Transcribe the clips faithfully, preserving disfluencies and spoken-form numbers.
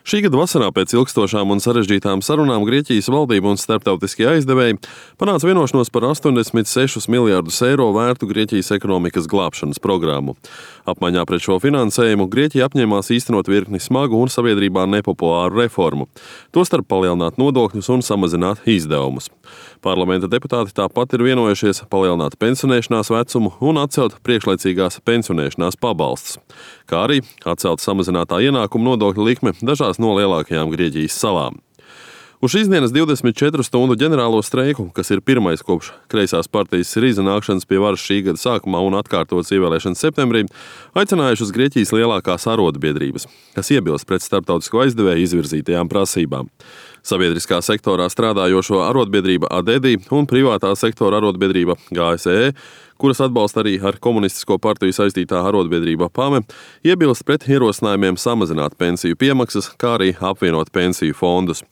Šī gada vasarā pēc ilgstošām un sarežģītām sarunām Grieķijas valdība un starptautiskie aizdevēji panāca vienošanos par astoņdesmit sešus miljardus eiro vērtu Grieķijas ekonomikas glābšanas programmu. Apmaiņā pret šo finansējumu Grieķija apņēmās īstenot virkni smagu un sabiedrībā nepopulāru reformu, tostarp palielināt nodokļus un samazināt izdevumus. Parlamenta deputāti tāpat ir vienojušies palielināt pensionēšanās vecumu un atcelt priekšlaicīgās pensionēšanās pabalstus, kā arī atcelt samazinātā ienākuma nodokļa likme dažās no lielākajām Grieķijas salām. Uz šīs dienas divdesmit četru stundu ģenerālo streiku, kas ir pirmais kopš kreisās partijas Siriza nākšanas pie varas šī gada sākumā un atkārtotas ievēlēšanas septembrī, aicinājušas Grieķijas lielākās arotbiedrības, kas iebilst pret starptautisko aizdevēju izvirzītajām prasībām. Sabiedriskā sektorā strādājošo arotbiedrība Adedi un privātā sektora arotbiedrība G S E, kuras atbalsta arī ar komunistisko partiju saistītā arotbiedrība Pame, iebilst pret ierosinājumiem samazināt pensiju piemaksas, kā arī apvienot pensiju fondus.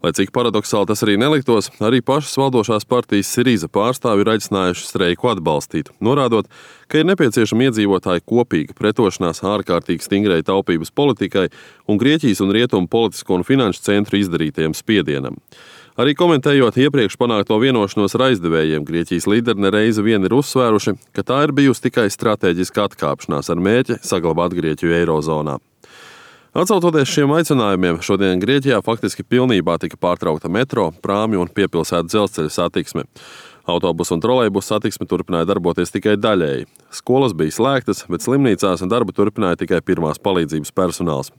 Lai cik paradoksāli tas arī neliktos, arī pašas valdošās partijas Siriza pārstāvi ir aicinājuši streiku atbalstīt, norādot, ka ir nepieciešama iedzīvotāju kopīga pretošanās ārkārtīgi stingrai taupības politikai un Grieķijas un Rietumu politisko un finanšu centru izdarītajam spiedienam. Arī komentējot iepriekš panākto vienošanos ar aizdevējiem, Grieķijas līderi nereizi vien ir uzsvēruši, ka tā ir bijusi tikai stratēģiska atkāpšanās ar mērķi saglabāt Grieķiju eirozonā. Atsaucoties šiem aicinājumiem, šodien Grieķijā faktiski pilnībā tika pārtraukta metro, prāmju un piepilsētu dzelzceļa satiksme. Autobusu un trolejbusu satiksme turpināja darboties tikai daļēji. Skolas bija slēgtas, bet slimnīcās darbu turpināja tikai pirmās palīdzības personāls.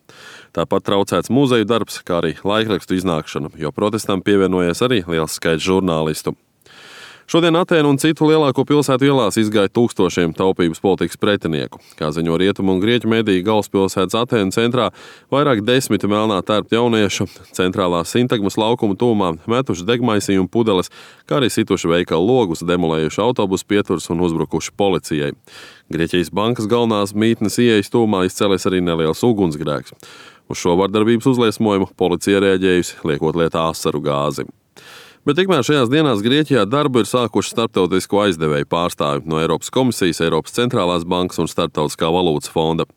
Tāpat traucēts muzeju darbs, kā arī laikrakstu iznākšana, jo protestam pievienojies arī liels skaits žurnālistu. Šodien Atēnu un citu lielāko pilsētu ielās izgāja tūkstošiem taupības politikas pretinieku. Kā ziņo Rietumu un Grieķu mediju, galvaspilsētas Atēnu centrā vairāk desmit melnā tērpta jauniešu centrālā Sintagmas laukuma tūmā metuši degmaisījumu pudeles, kā arī situši veikalu logus, demolējuši autobusu pieturus un uzbrukuši policijai. Grieķijas bankas galvenās mītnes ieejas tūmā izcēlies arī neliels ugunsgrēks. Uz šo vardarbības uzliesmojumu policija reaģējusi, liekot lietā asaru gāzi. Bet tikmēr šajās dienās Grieķijā darbu ir sākuši starptautisko aizdevēju pārstāvi no Eiropas komisijas, Eiropas centrālās bankas un Starptautiskā valūtas fonda.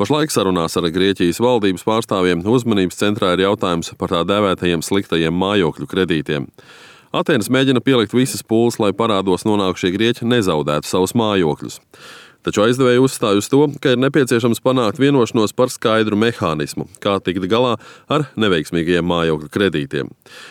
Pašlaik sarunās ar Grieķijas valdības pārstāvjiem uzmanības centrā ir jautājums par tā dēvētajiem sliktajiem mājokļu kredītiem. Atēnas mēģina pielikt visas pūles, lai parādos nonākušie grieķi nezaudētu savus mājokļus. Taču aizdevēji uzstāj uz to, ka ir nepieciešams panākt vienošanos par skaidru mehānismu, kā tikt galā ar neveiksmīgajiem mājokļu kredītiem.